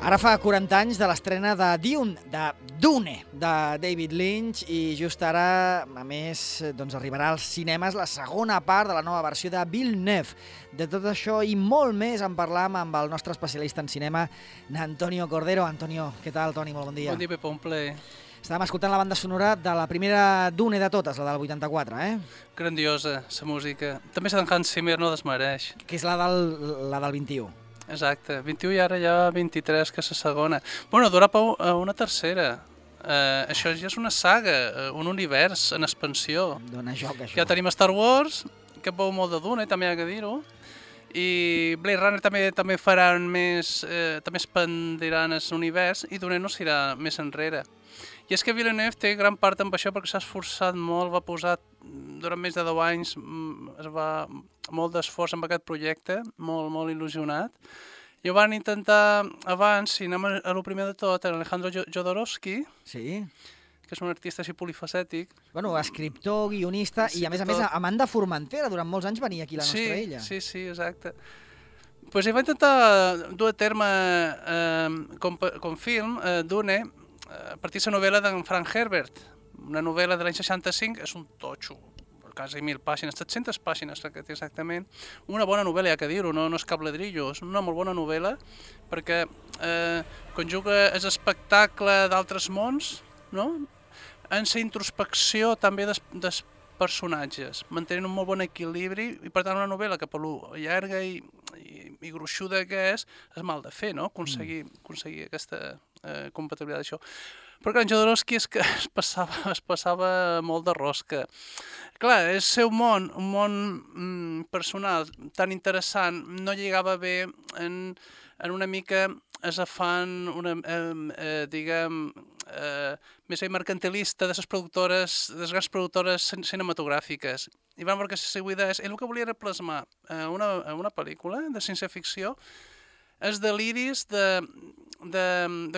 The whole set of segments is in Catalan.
Ara fa 40 anys de l'estrena de Dune, de David Lynch, i just ara, a més, doncs arribarà als cinemes la segona part de la nova versió de Villeneuve. De tot això i molt més en parlam amb el nostre especialista en cinema, Antonio Cordero. Antonio, què tal, Toni? Molt bon dia. Bon dia, Pepa, un plaer. Estàvem escoltant la banda sonora de la primera Dune de totes, la del 84, Grandiosa, la música. També la d'en Hans Zimmer no desmereix. Que és la del 21. Exacte, 21 i ara ja 23, que és la segona. Bueno, durà una tercera. Això ja és una saga, un univers en expansió. Dóna joc, això. Ja tenim Star Wars, que veu molt de Dune, també hi ha que dir-ho. I Blade Runner també faran més, també expandiran l'univers i Dune no s'irà més enrere. I és que Villeneuve té gran part amb això perquè s'ha esforçat molt, va posar durant més de 10 anys, es va molt d'esforç amb aquest projecte, molt il·lusionat. I ho van intentar abans, si anem a lo primer de tot, Alejandro Jodorowsky, sí, que és un artista així polifacètic. Bueno, escriptor, guionista, i a més Amanda Formentera, durant molts anys venia aquí la nostra illa. Sí, exacte. Pues ell va intentar dur a terme com film, Dune, a partir de la novel·la d'en Frank Herbert, una novel·la de l'any 65, és un totxo, quasi 1.000 pàgines, 700 pàgines exactament. Una bona novel·la, hi ha que dir-ho, no és cap ladrillo, és una molt bona novel·la perquè conjuga l'espectacle d'altres mons, no? En la introspecció també dels personatges, mantenint un molt bon equilibri i per tant una novel·la que per lo llarga i gruixuda que és mal de fer, no? Aconseguir aquesta compatibilitat d'això. Però clar, en Jodorowsky és que es passava molt de rosca. Clar, el seu món, un món personal tan interessant, no lligava bé en una mica afany, diguem, més mercantilista de les grans productores cinematogràfiques. I vam veure que la seva idea és, ell el que volia era plasmar una pel·lícula de ciència-ficció els deliris de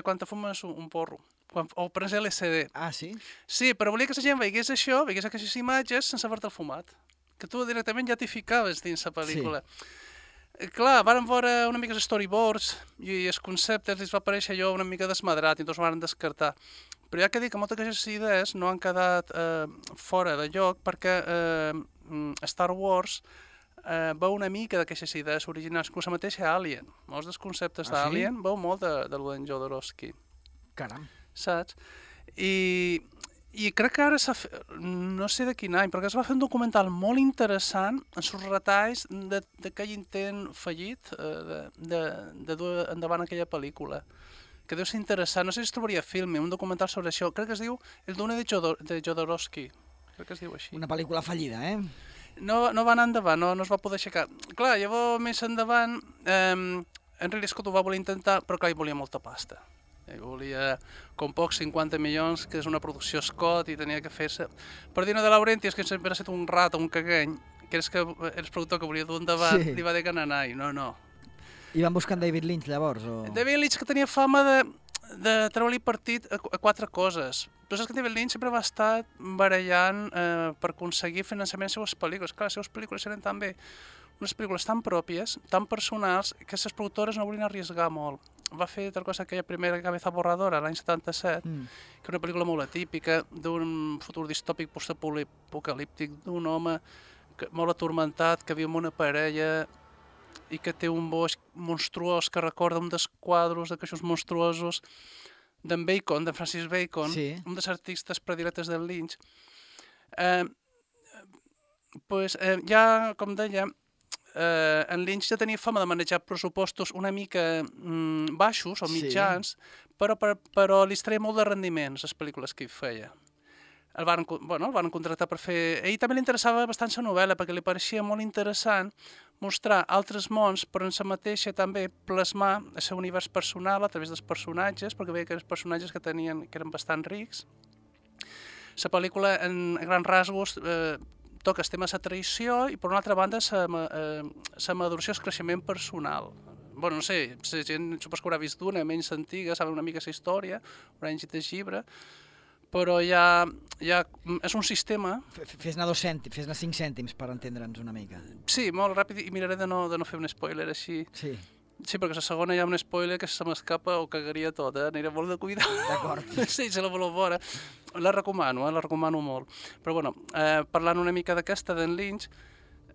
quan te fumes un porro, o prens LSD. Ah, sí? Sí, però volia que la gent veiés això, veiés aquestes imatges sense haver-te'l fumat, que tu directament ja t'hi ficaves dins la pel·lícula. Sí. Clar, vàrem veure una mica els storyboards i els conceptes, els va aparèixer allò una mica desmadrat i tots ho van descartar. Però hi ha que dir que moltes d'aquestes idees no han quedat fora de lloc perquè Star Wars veu una mica d'aquestes idees originals, inclús la mateixa Alien. Molts dels conceptes d'Alien veu molt de l'en Jodorowsky. Caram. Saps? I crec que ara no sé de quin any, perquè es va fer un documental molt interessant en els retalls d'aquell intent fallit de dur endavant aquella pel·lícula, que deu ser interessant. No sé si es trobaria Filme, un documental sobre això. Crec que es diu El Dune de Jodorowsky. Crec que es diu així. Una pel·lícula fallida, No va anar endavant, no es va poder aixecar. Clar, llavors més endavant, Ridley Scott ho va voler intentar, però clar, hi volia molta pasta. Ell volia, com pocs, 50 milions, que és una producció Scott, i tenia que fer-se. Per dir-ne de Laurentiis, que sempre ha estat un rat o un cagany, que és que el productor que volia dur endavant, li va dir que n'anai, no. I van buscar en David Lynch, llavors? David Lynch, que tenia fama de treure-li partit a 4 coses. Tu saps que David Lynch sempre va estar barallant per aconseguir finançament de les seves pel·lícules. Clar, les seves pel·lícules eren també unes pel·lícules tan pròpies, tan personals, que les productores no volien arriesgar molt. Va fer tal cosa aquella primera Cabeza Borradora, l'any 77, que és una pel·lícula molt atípica, d'un futur distòpic postapocalíptic, d'un home molt atormentat, que viu amb una parella i que té un bosc monstruós que recorda un dels quadros d'aquests monstruosos d'en Bacon, de Francis Bacon, un dels artistes predilectes del Lynch. Ja, com deia, en Lynch ja tenia fama de manejar pressupostos una mica baixos o mitjans, però li treia molt de rendiment les pel·lícules que hi feia. El van contractar per fer... A ell també li interessava bastant la novel·la perquè li pareixia molt interessant mostrar altres mons, però en la mateixa també plasmar el seu univers personal a través dels personatges, perquè veia que els personatges que eren bastant rics. La pel·lícula, en grans rasgos, toca el tema de la traïció i, per una altra banda, la maduració, el creixement personal. Bueno, no sé, la gent supos que haurà vist Dune, menys antiga, saben una mica la història, haurà llegit el llibre, però ja és un sistema... Fes-ne 2 cèntims, fes-ne 5 cèntims per entendre'ns una mica. Sí, molt ràpid, i miraré de no fer un spoiler així. Sí. Sí, perquè la segona hi ha un spoiler que se m'escapa o cagaria tot, aniré molt de cuidar. D'acord. Sí, se la voleu veure. La recomano molt. Però bueno, parlant una mica d'aquesta d'en Lynch,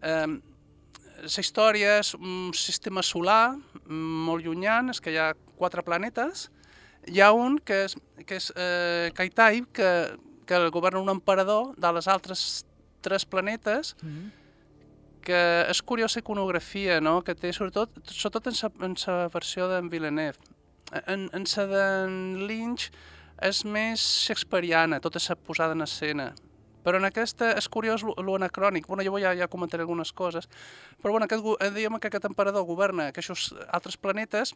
la història és un sistema solar molt llunyant, és que hi ha 4 planetes. Hi ha un que és Kaitai, que governa un emperador dels altres 3 planetes, que és curiosa iconografia, no?, que té sobretot en la versió d'en Villeneuve. En la d'en Lynch és més shakespeariana, tota la posada en escena. Però en aquesta és curiós l'anacrònic. Bueno, jo ja comentaré algunes coses. Però bueno, diguem que aquest emperador governa aquests altres planetes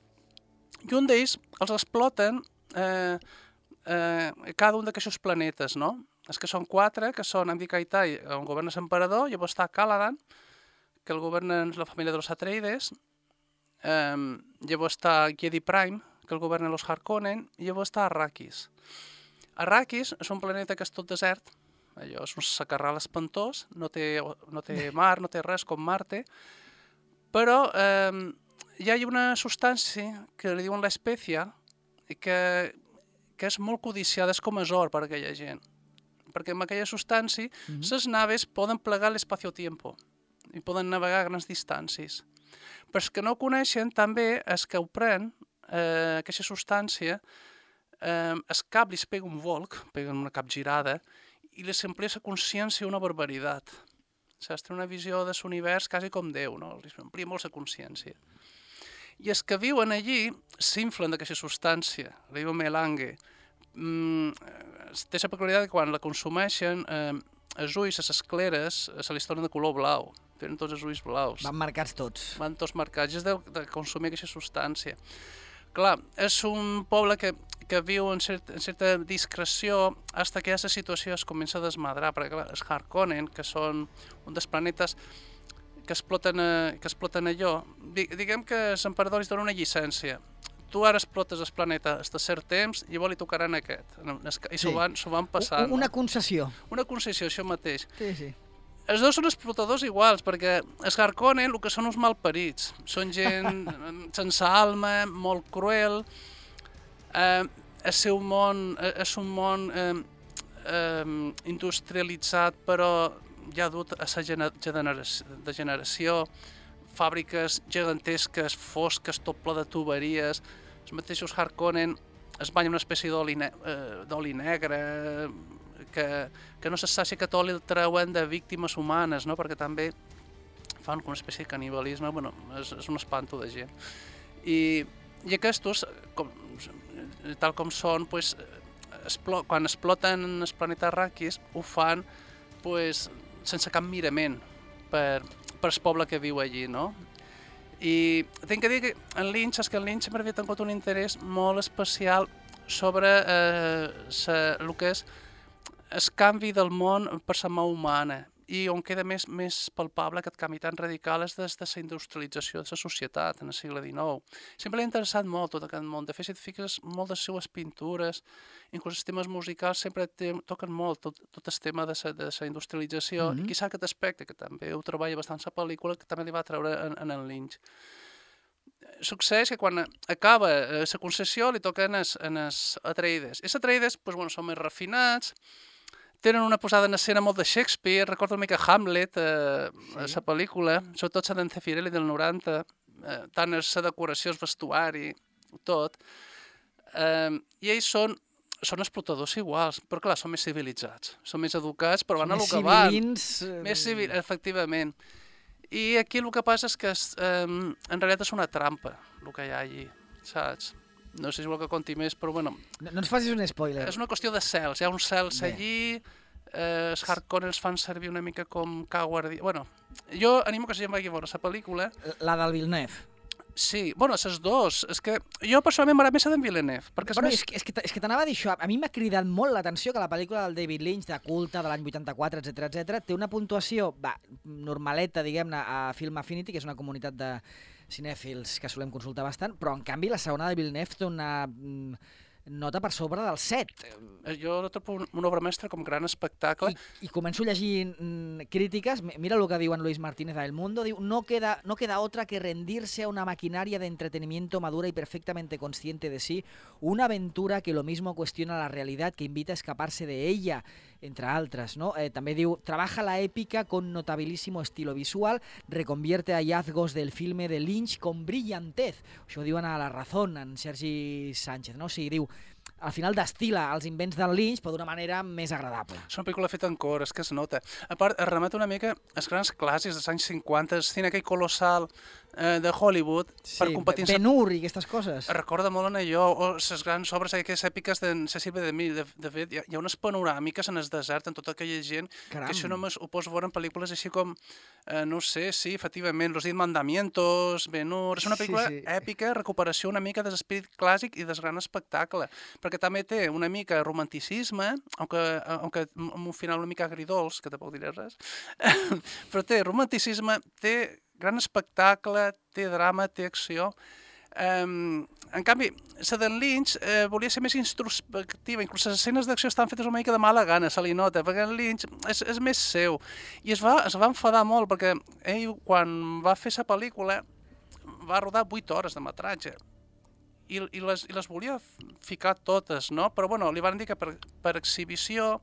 i un d'ells els exploten cada un d'aquests planetes, no? És que són 4, que són Kaitai, on governa l'emperador, llavors està Caladan, que el governa la família dels Atreides, llavors està Jedi Prime, que el governa els Harkonnen, i llavors està Arrakis. Arrakis és un planeta que és tot desert, allò és un sacarral espantós, no té mar, no té res com Marte, però hi ha una substància que li diuen l'espècia, que és molt codiciada, és com és or per a aquella gent. Perquè amb aquella substància les naves poden plegar l'espacio-tiempo i poden navegar a grans distàncies. Però els que no ho coneixen també és que ho pren, aquesta substància, el cap li es pega un volc, pega una capgirada, i li s'amplia la consciència una barbaritat. Saps? Té una visió de l'univers quasi com Déu, no? Li s'amplia molt la consciència. I els que viuen allí s'inflen d'aquesta substància, la diuen melange. Té la peculiaritat que quan la consumeixen, els ulls, les escleres, se li tornen de color blau. Tenen tots els ulls blaus. Van marcats tots. Van tots marcats, és de consumir aquesta substància. Clar, és un poble que viu en certa discreció fins que aquesta situació es comença a desmadrar, perquè clar, els Harkonnen, que són un dels planetes que exploten allò, diguem que l'emperador li dona una llicència. Tu ara explotes el planeta fins a cert temps i llavors li tocaran aquest. I s'ho van passant. Una concessió. Una concessió, això mateix. Sí. Els dos són explotadors iguals, perquè els Harkonnen el que són uns malparits. Són gent sense alma, molt cruel. El seu món és un món industrialitzat, però ja dut a la degeneració, fàbriques gegantesques, fosques, tot ple de tuberies. Els mateixos Harkonnen es banyen una espècie d'oli negre, que no se sap si aquest oli el treuen de víctimes humanes, no? Perquè també fan una espècie de canibalisme, bueno, és un espanto de gent. I aquests, tal com són, pues, quan exploten el planeta Arrakis, ho fan pues, sense cap mirament per el poble que viu allí, no? I tinc que dir que en Lynch m'ha tingut un interès molt especial sobre el que és el canvi del món per la mà humana, i on queda més palpable aquest canvi tan radical és des de la industrialització de la societat en el segle XIX. Sempre l'ha interessat molt tot aquest món. De fet, si et fiques molt de les seues pintures, inclús els temes musicals, sempre toquen molt tot el tema de la industrialització, i quizà aquest aspecte, que també ho treballa bastant la pel·lícula, que també li va treure en Lynch. Succeeix que quan acaba la concessió li toquen els Atreides. I els Atreides són més refinats, tenen una posada en escena molt de Shakespeare, recordo una mica Hamlet, la pel·lícula, sobretot la d'en Zeffirelli del 90, tant la decoració, el vestuari, tot. I ells són explotadors iguals, però clar, són més civilitzats, són més educats, però van a lo que van. Més civils, efectivament. I aquí el que passa és que en realitat és una trampa, el que hi ha allí, saps? No sé si vol que conti més, però bueno... No ens facis un spoiler. És una qüestió de cels, hi ha uns cels allí, els Harkonnen els fan servir una mica com guàrdia... Bueno, jo animo que la gent vagi a veure la pel·lícula. La del Villeneuve. Sí, bueno, els dos. És que jo personalment m'agrada més la d'en Villeneuve. És que t'anava a dir això. A mi m'ha cridat molt l'atenció que la pel·lícula del David Lynch, de culte, de l'any 84, etc, té una puntuació normaleta, diguem-ne, a Film Affinity, que és una comunitat de cinèfils que solem consultar bastant, però en canvi la segona de Villeneuve té una nota per sobre del 7. Jo la trobo una obra mestra com gran espectacle. I començo a llegir crítiques, mira el que diu en Luis Martínez a El Mundo, diu, no queda otra que rendirse a una maquinaria de entretenimiento madura y perfectamente consciente de sí, una aventura que lo mismo cuestiona la realidad, que invita a escaparse de ella, entre altres, no? També diu, trabaja la épica con notabilísimo estilo visual, reconvierte hallazgos del filme de Lynch con brillantez. Això ho diuen a La Razón, en Sergi Sánchez, no? O sigui, diu, al final destila els invents del Lynch però d'una manera més agradable. És una pel·lícula feta en cor, és que es nota. A part, es remet una mica als grans clàssics dels anys 50, el cine aquell colossal de Hollywood, per competir... Ben-Hur i aquestes coses. Recorda molt en allò, o les grans obres aquelles èpiques d'en Cecil B. DeMille. De fet, hi ha unes panoràmiques en el desert, en tota aquella gent, que això només ho pots veure en pel·lícules així com, no sé, sí, efectivament, Los 10 Mandamientos, Ben-Hur... És una pel·lícula èpica, recuperació una mica de l'esperit clàssic i del gran espectacle, perquè també té una mica romanticisme, aunque amb un final una mica agridolç, que tampoc diré res, però té romanticisme, té gran espectacle, té drama, té acció. En canvi, la d'en Lynch volia ser més introspectiva, inclús les escenes d'acció estan fetes una mica de mala gana, se li nota, perquè en Lynch és més seu. I es va enfadar molt, perquè ell, quan va fer la pel·lícula, va rodar 8 hores de metratge. I les volia ficar totes, no? Però bueno, li van dir que per exhibició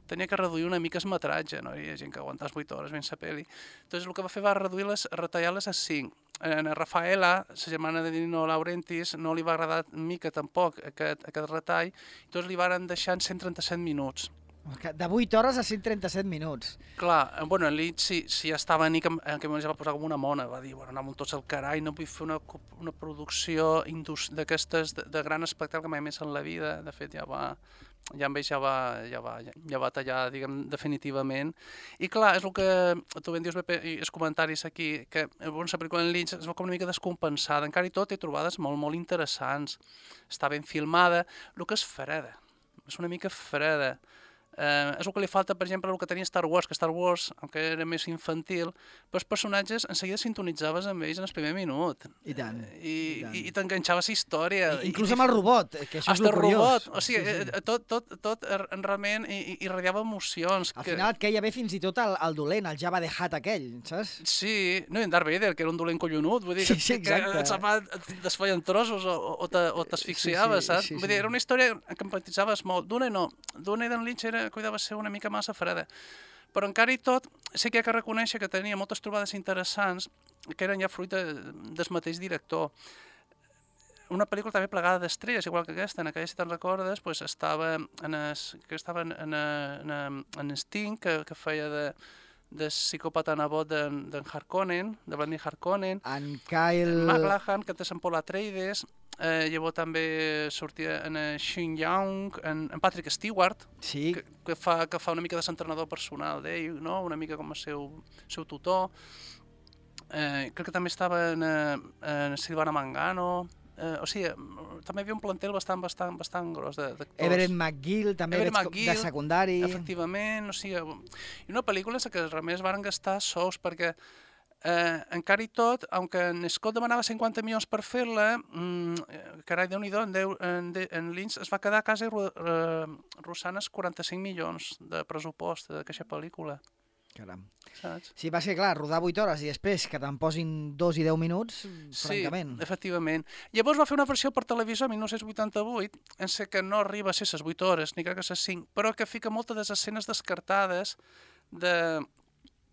tenia que reduir una mica el metratge, no? Hi ha gent que aguantava 8 hores ben la pel·li. Entonces el que va fer va retallar-les a 5. A Rafaela, la germana de Nino Laurentiis, no li va agradar mica tampoc aquest retall, entonces li van deixar en 137 minuts. De 8 hores a 137 minuts. Clar, bueno, en Lynch si ja estava en aquell moment ja va posar com una mona, va dir, bueno, anàvem tots al carai, no vull fer una producció d'aquestes de gran espectacle mai més en la vida. De fet, ja va tallar, diguem, definitivament. I clar, és el que tu ben dius, Beppe, i els comentaris aquí, que la pel·lícula en Lynch es veu com una mica descompensada, encara i tot té trobades molt, molt interessants. Està ben filmada, el que és freda, és una mica freda. És el que li falta, per exemple, el que tenia Star Wars, que Star Wars, aunque era més infantil, però els personatges en seguida sintonitzaves amb ells en el primer minut. I tant. I t'enganxaves a la història. Inclús amb el robot, que això és el curiós. O sigui, tot realment irradiava emocions. Al final et queia bé fins i tot el dolent, el Jabba the Hutt aquell, saps? Sí, no, i en Darth Vader, que era un dolent collonut, vull dir que et desfeien trossos o t'asfixiaves, saps? Vull dir, era una història que empatitzaves molt. Dune d'en Lynch cuidava ser una mica massa freda. Però encara i tot, sí que hi ha que reconèixer que tenia moltes trobades interessants que eren ja fruit del mateix director. Una pel·lícula també plegada d'estrelles, igual que aquesta, en aquella, si te'n recordes, pues, estava en Sting, que feia de psicòpata nebot d'en Harkonnen, de Vladimir Harkonnen, en Kyle MacLachlan, que té en Paul Atreides. Llavors també sortia en Shin Young, en Patrick Stewart, que fa una mica de entrenador personal d'ell, no? Una mica com el seu tutor. Crec que també estava en Silvana Mangano. O sigui, també hi havia un plantel bastant gros d'actors. Everett McGill, també de secundari. Efectivament, o sigui, i una pel·lícula en què realment es van gastar sous, perquè encara i tot, aunque en Scott demanava 50 milions per fer-la, carai, Déu-n'hi-do, en Lynch es va quedar a casa rossant els 45 milions de pressupost d'aquesta pel·lícula. Caram. Saps? Sí, va ser clar, rodar 8 hores i després que te'n posin 2 i 10 minuts, francament. Sí, efectivament. Llavors va fer una versió per televisió en 1988, en sé que no arriba a ser les 8 hores, ni crec que les 5, però que fica moltes de les escenes descartades de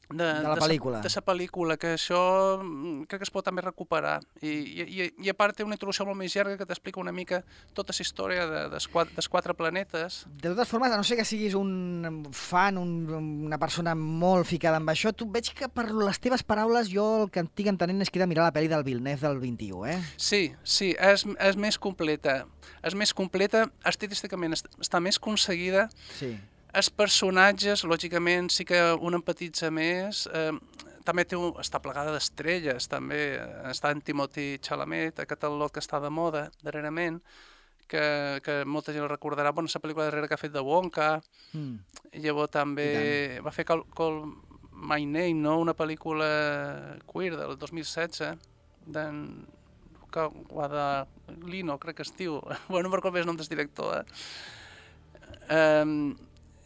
la pel·lícula. De la pel·lícula, que això crec que es pot també recuperar. I a part té una introducció molt més llarga que t'explica una mica tota la història dels 4 planetes. De totes formes, a no ser que siguis un fan, una persona molt ficada amb això, tu veig que per les teves paraules jo el que estic entenent és que he de mirar la pel·li del Villeneuve del 21, eh? Sí, és més completa. És més completa, estilísticament està més aconseguida. Sí. Els personatges, lògicament, sí que un empatitza més. També està plegada d'estrelles, també. Està en Timothée Chalamet, aquest al·lot que està de moda darrerament, que molta gent el recordarà. Bueno, la pel·lícula darrere que ha fet de Wonka. Llavors també va fer Call My Name, no? Una pel·lícula queer del 2016, Guadagnino, crec que es diu. Bueno, no me'n recordo bé el nom del director.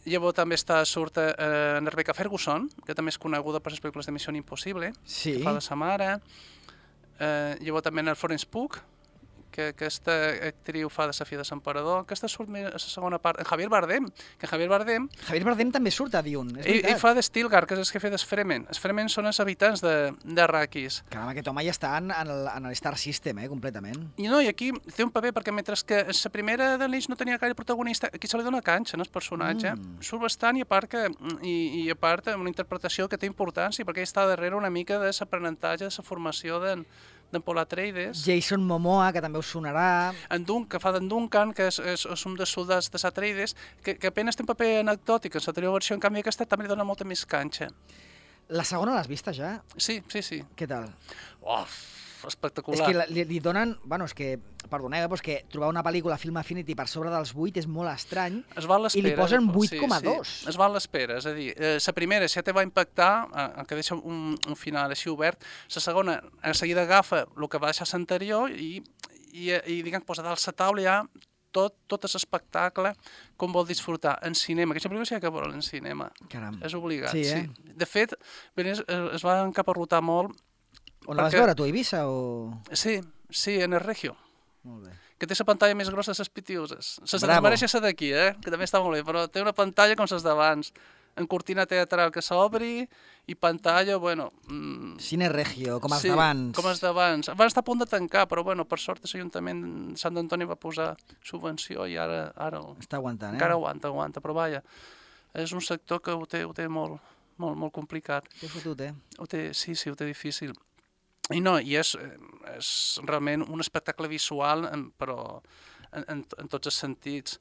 Llavors també surt en Rebecca Ferguson, que també és coneguda per les pel·lícules de Missió Impossible, que fa de sa mare. Llavors també en el Florence Pugh, que aquesta actriu fa de la filla de l'emperador. Aquesta surt més a la segona part. En Javier Bardem, Javier Bardem també surt a Dune, és veritat. I fa de Stilgar, que és el que fa dels Fremen. Els Fremen són els habitants d'Arrakis. Caram, aquest home ja està en el Star System, completament. I aquí té un paper, perquè mentre que la primera de Lynch no tenia gaire protagonista, aquí se li dona canxa, el personatge. Surt bastant i a part una interpretació que té importància, perquè ell està darrere una mica de l'aprenentatge, de la formació d'en Paul Atreides. Jason Momoa, que també us sonarà. Que fa d'en Duncan, que és un dels soldats de Atreides, que apenas té un paper anecdòtic en l'anterior versió, en canvi aquesta també li dona molta més canxa. La segona l'has vista ja? Sí. Què tal? Espectacular. És que li donen... Bueno, és que, perdoneu, però és que trobar una pel·lícula Film Affinity per sobre dels 8 és molt estrany. Es val l'espera. I li posen 8,2. Sí. Es val l'espera, és a dir, la primera ja te va impactar, que deixa un final així obert. La segona, a seguida agafa el que va deixar l'anterior i diguem, posa dalt la taula ja tot l'espectacle com vol disfrutar en cinema. Aquesta pel·lícula s'ha de veure en cinema. Caram. És obligat, sí. De fet, es va encaparrotar molt. On la vas veure, tu, a Eivissa? Sí, en el Regio. Molt bé. Que té la pantalla més grossa de les Pitiuses. Se desmereix la d'aquí, que també està molt bé, però té una pantalla com les d'abans. En cortina teatral que s'obri i pantalla, bueno... Cine Regio, com els d'abans. Sí, com els d'abans. Van estar a punt de tancar, però bueno, per sort l'Ajuntament de Sant Antoni va posar subvenció i ara està aguantant, encara aguanta, però vaja, és un sector que ho té molt complicat. Té fotut, Sí, ho té difícil. I és realment un espectacle visual, però en tots els sentits.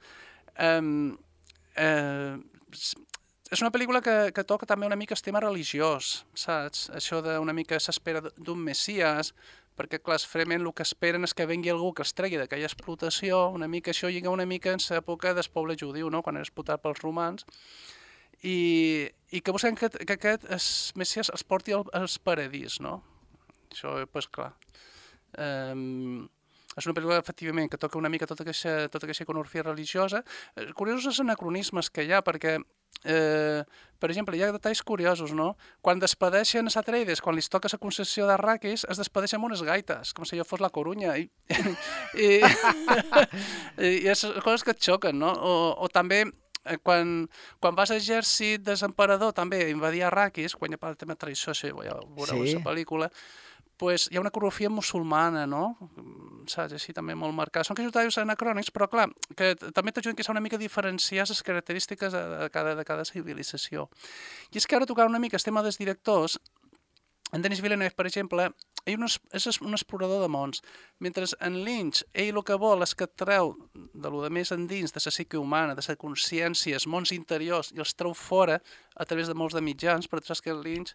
És una pel·lícula que toca també una mica el tema religiós, saps? Això d'una mica s'espera d'un messies, perquè, clar, els Fremen el que esperen és que vengui algú que els tregui d'aquella explotació, una mica això lliga una mica en l'època del poble judiu, no?, quan era explotat pels romans, i que busquen que aquest messies els porti als paradís, no? Això, doncs, clar. És una pel·lícula, efectivament, que toca una mica tota aquesta iconografia religiosa. Curiosos els anacronismes que hi ha, perquè, per exemple, hi ha detalls curiosos, no? Quan despedeixen a Atreides, quan li toca la concessió d'Arrakis, es despedeixen amb unes gaites, com si allò fos la Corunya. I és coses que et xoquen, no? O també... Quan vas a l'exèrcit de l'emperador també a invadir Arrakis, quan hi ha el tema de traïció, ja veureu la pel·lícula, pues hi ha una coreografia musulmana, no? Saps? Així també molt marcada. Són detalls anacrònics, però clar, que també t'ajuden que s'ha una mica diferenciar les característiques de cada civilització. I és que ara tocant una mica el tema dels directors, en Denis Villeneuve, per exemple, ell és un explorador de mons, mentre en Lynch, ell el que vol és que et treu de lo de més endins, de la psique humana, de la consciència, els mons interiors, i els treu fora a través de molts de mitjans, però tu saps que Lynch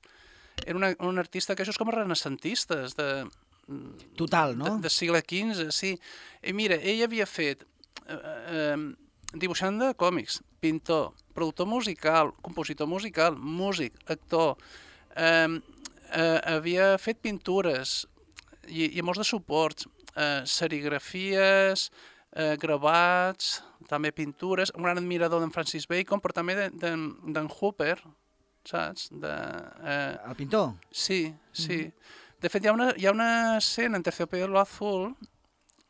era un artista que això és com a renacentistes, total, no? Del segle XV, sí. I mira, ell havia fet dibuixant de còmics, pintor, productor musical, compositor musical, músic, actor, havia fet pintures i molts de suports, serigrafies, gravats, també pintures, un gran admirador d'en Francis Bacon, però també d'en Hooper, saps? El pintor? Sí. De fet, hi ha una escena en Terciopelo Azul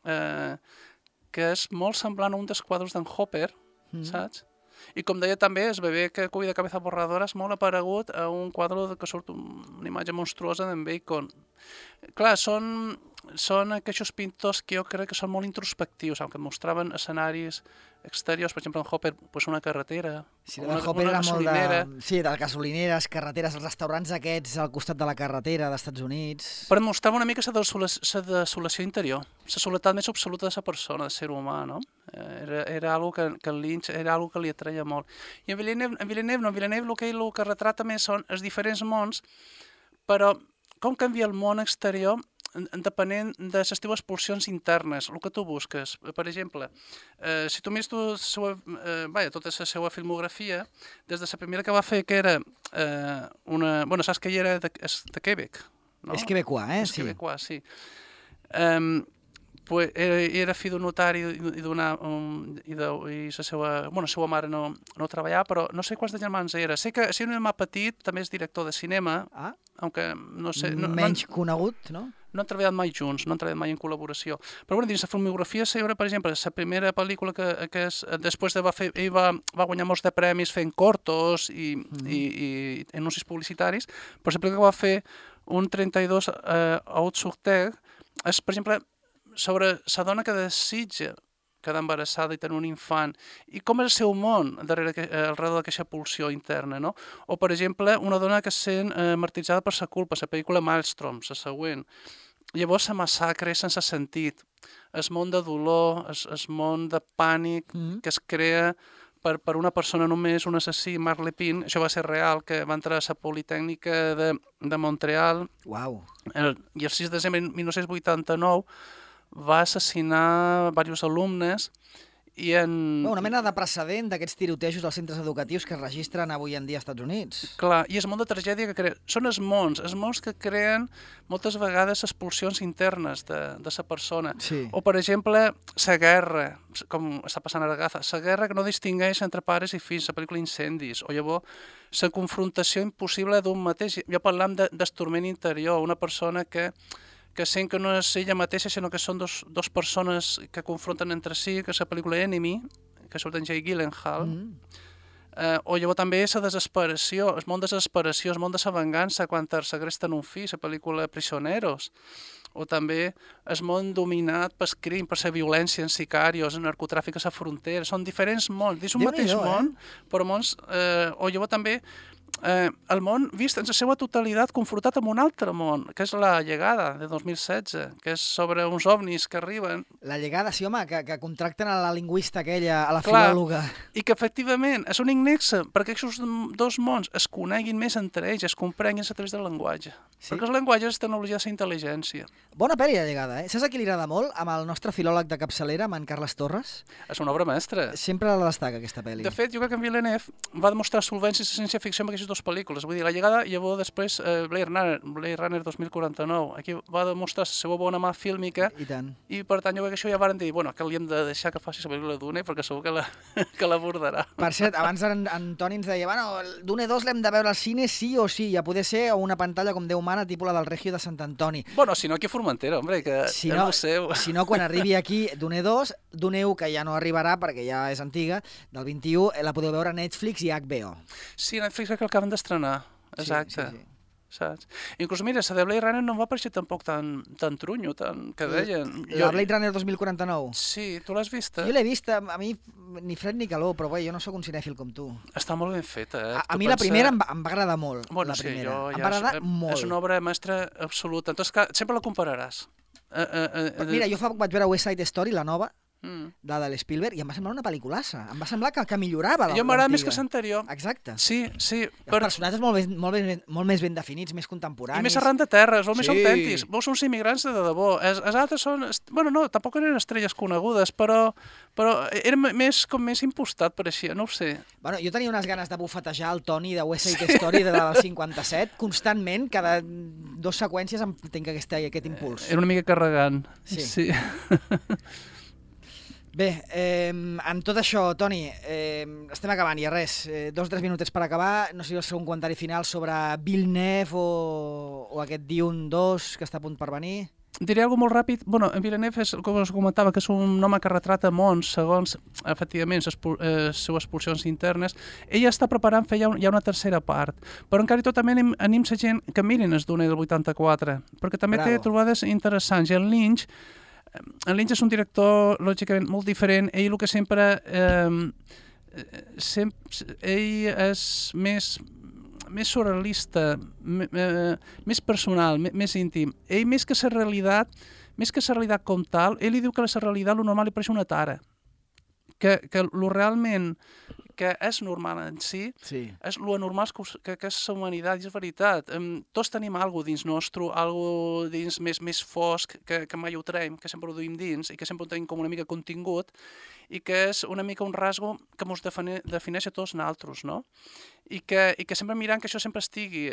que és molt semblant a un dels quadres d'en Hopper, saps? I com deia també, el bebè que cuida cabeza borradora és molt aparegut a un quadre que surt una imatge monstruosa d'en Bacon. Clar, són aquests pintors que jo crec que són molt introspectius, que et mostraven escenaris exteriors, per exemple, en Hopper, una carretera, una gasolinera. Sí, de gasolineres, carreteres, els restaurants aquests al costat de la carretera d'Estats Units. Però et mostrava una mica la desolació interior, la soledat més absoluta de la persona, del ser humà, no? Era algo que en Lynch era algo que li atreia molt. I en Villeneuve el que retrata més són els diferents mons, però com canvia el món exterior depenent de les teves pulsions internes, el que tu busques. Per exemple, si tu mires tota la seva filmografia, des de la primera que va fer, que era saps que ell era de Quebec, no? És quebecois, És quebecois, sí. Era fill d'un notari i la seva mare no treballava, però no sé quants de germans era. Sé que si un germà petit també és director de cinema, aunque no sé... Menys conegut, no? No han treballat mai junts, no han treballat mai en col·laboració. Però bueno, dins la filmografia seva, per exemple, la primera pel·lícula que després ell va guanyar molts de premis fent cortos i anuncis publicitaris, però la pel·lícula que va fer un 32 Haute sur Terre és, per exemple, sobre la dona que desitja quedar embarassada i tenir un infant, i com és el seu món alrededor d'aquesta pulsió interna, no? O, per exemple, una dona que es sent martiritzada per la culpa, la pel·lícula Maelstrom, la següent. Llavors la massacre sense sentit, el món de dolor, el món de pànic que es crea per una persona només, un assassí, Marc Lépine, això va ser real, que va entrar a la Politècnica de Montreal, i el 6 de desembre de 1989 va assassinar diversos alumnes i una mena de precedent d'aquests tirotejos als centres educatius que es registren avui en dia als Estats Units. Clar, i és el món de tragèdia que crea. Són els mons que creen moltes vegades les pulsions internes de la persona. Sí. O, per exemple, la guerra, com està passant a Agatha, la guerra que no distingeix entre pares i fills, la pel·lícula Incendis, o llavors la confrontació impossible d'un mateix. Jo parlam d'estorment interior, una persona que sent que no és ella mateixa, sinó que són dos persones que confronten entre si, que és la pel·lícula Enemy, que surt en Jake Gyllenhaal, o llavors també la desesperació, el món de desesperació, el món de la vengança quan segresten un fill, la pel·lícula Prisioneros, o també el món dominat pel crim, per la violència en sicarios, en narcotràfic a la frontera. Són diferents mons, dins un mateix món, però mons... O llavors també el món vist en la seva totalitat confrontat amb un altre món, que és La llegada, de 2016, que és sobre uns ovnis que arriben. La llegada, sí, home, que contracten a la lingüista aquella, a la filòloga. I que efectivament és un nexe perquè aquests dos mons es coneguin més entre ells, es comprenguin a través del llenguatge. Sí? Perquè el llenguatge és tecnologia de la intel·ligència. Bona pel·li, La llegada, eh? Saps a qui li agrada molt? Amb el nostre filòleg de capçalera, amb en Carles Torres. És una obra mestra. Sempre la destaca, aquesta pel·li. De fet, jo crec que en Villeneuve va demostrar solvència i ciència-ficció amb aquestes dues pel·lícules. Vull dir, La llegada i llavors després Blade Runner 2049. Aquí va demostrar la seva bona mà fílmica. I tant. I per tant, jo crec que això ja varen dir, bueno, que li hem de deixar que faci la pel·lícula Dune perquè segur que l'abordarà. Per cert, abans en Toni ens deia, bueno, Dune 2 l'hem de veure al cine sí o sí, ja poder ser a una pantalla com Déu mana, tipus la del Regio de Sant Antoni. Bueno, si no aquí a Formentera, hombre, que si és no, el seu. Si no, quan arribi aquí Dune 2, Dune 1, que ja no arribarà perquè ja és antiga, del 21, la podeu veure a Netflix i HBO. Sí, Netflix crec que l'acaben d'estrenar. Exacte. Sí. Saps? Inclús, mira, la de Blade Runner no em va pareixer tampoc tan trunyo, que deien. La Blade Runner 2049? Sí, tu l'has vista? Jo l'he vista, a mi ni fred ni calor, però bé, jo no sóc un cinèfil com tu. Està molt ben feta, eh? A mi la primera em va agradar molt. Bueno, la primera. Sí, em va agradar molt. És una obra mestra absoluta. Entonces, sempre la compararàs. Mira, jo fa poc vaig veure West Side Story, la nova, de l'Spielberg, i em va semblar una pel·liculassa. Em va semblar que millorava jo m'agrada més que l'anterior. Exacte. Sí. Els personatges molt més ben definits, més contemporanis. I més arran de terra, són més autèntics. Vos són immigrants de debò. Els altres són... Bueno, no, tampoc eren estrelles conegudes, però era més impostat, pareixia, no ho sé. Bueno, jo tenia unes ganes de bufetejar el Toni de West Side Story del 57, constantment, cada 2 seqüències em tinc aquest impuls. Era una mica carregant. Sí. Bé, amb tot això, Toni, estem acabant ja, res. 2 o 3 minutets per acabar. No sé si vols fer un comentari final sobre Villeneuve o aquest Dune 2 que està a punt per venir. Diré alguna molt ràpid. Bueno, en Villeneuve, com us comentava, que és un home que retrata mons segons, efectivament, les seues pulsions internes. Ell està preparant fer ja una tercera part. Però encara i tot també anim la gent que mirin el Dune del 84, perquè també té trobades interessants. I en Lynch és un director, lògicament, molt diferent. Ell el que sempre... ell és més surrealista, més personal, més íntim. Ell, més que la realitat com tal, ell li diu que la realitat, lo normal, li pareix una tara. Que lo realment que és normal en si, és lo anormal que és la humanitat, i és veritat. Tots tenim alguna dins nostre, alguna dins més fosc, que mai ho traiem, que sempre ho duim dins, i que sempre ho tenim com una mica contingut, i que és una mica un rasgo que ens defineix a tots nosaltres, no? I que sempre mirant que això sempre estigui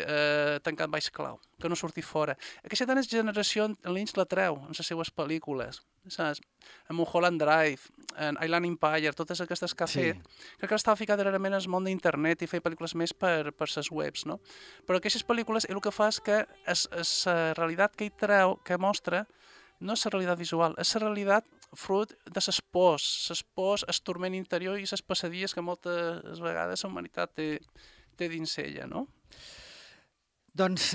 tancat baix clau, que no surti fora. Aquesta tant és generació, Lynch la treu en les seues pel·lícules, saps? En Mulholland Drive, en Island Empire, totes aquestes que ha fet, crec que estava ficat realment en el món d'internet i feia pel·lícules més per les webs, no? Però aquestes pel·lícules el que fa és que la realitat que hi treu, que mostra, no és la realitat visual, és la realitat fruit de les pors, el turment interior i les passadilles que moltes vegades la humanitat té dins ella, no? Doncs,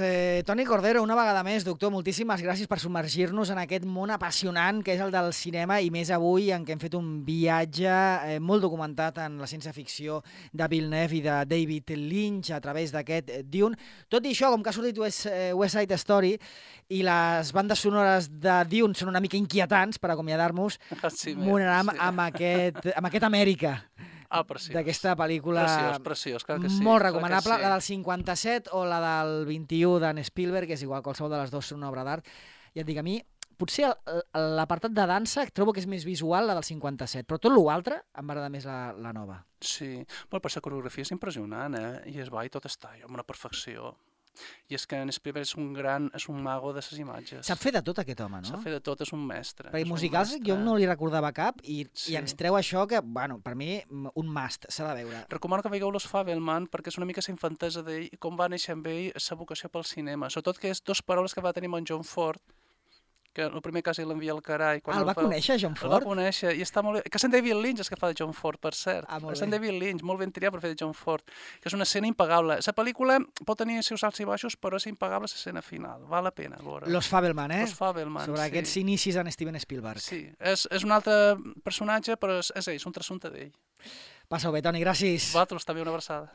Toni Cordero, una vegada més, doctor, moltíssimes gràcies per submergir-nos en aquest món apassionant que és el del cinema i més avui en què hem fet un viatge molt documentat en la ciència-ficció de Villeneuve i de David Lynch a través d'aquest Dune. Tot i això, com que ha sortit West Side Story i les bandes sonores de Dune són una mica inquietants per acomiadar-nos, m'ho anàvem amb aquest Amèrica. Preciós. D'aquesta pel·lícula preciós, clar que sí, molt recomanable, la del 57 o la del 21 d'en Spielberg, que és igual, qualsevol de les dues són una obra d'art. Ja et dic, a mi, potser l'apartat de dansa trobo que és més visual la del 57, però tot l'altre em va agradar més la nova. Sí, però la coreografia és impressionant, i es va i tot està amb una perfecció. I és que en Spielberg és un mago de les imatges. Sap fer de tot aquest home, no? Sap fer de tot, és un mestre. Perquè musicals jo no li recordava cap i ens treu això que, bueno, per mi un must, s'ha de veure. Recomano que veieu Los Fabelman perquè és una mica la infantesa d'ell i com va néixer amb ell la vocació pel cinema. Sobretot que és dues paraules que va tenir amb en John Ford, que el primer cas ell l'envia al carai. El va conèixer, John Ford? El va conèixer i està molt bé. Que és en David Lynch que fa de John Ford, per cert. És en David Lynch, molt ben triat per fer de John Ford, que és una escena impagable. La pel·lícula pot tenir els seus alts i baixos, però és impagable l'escena final. Val la pena veure. Los Fabelman, Los Fabelman, sobre aquests inicis en Steven Spielberg. Sí, és un altre personatge, però és ell, és un trasunte d'ell. Passa-ho bé, Toni, gràcies. Vosaltres també una abraçada.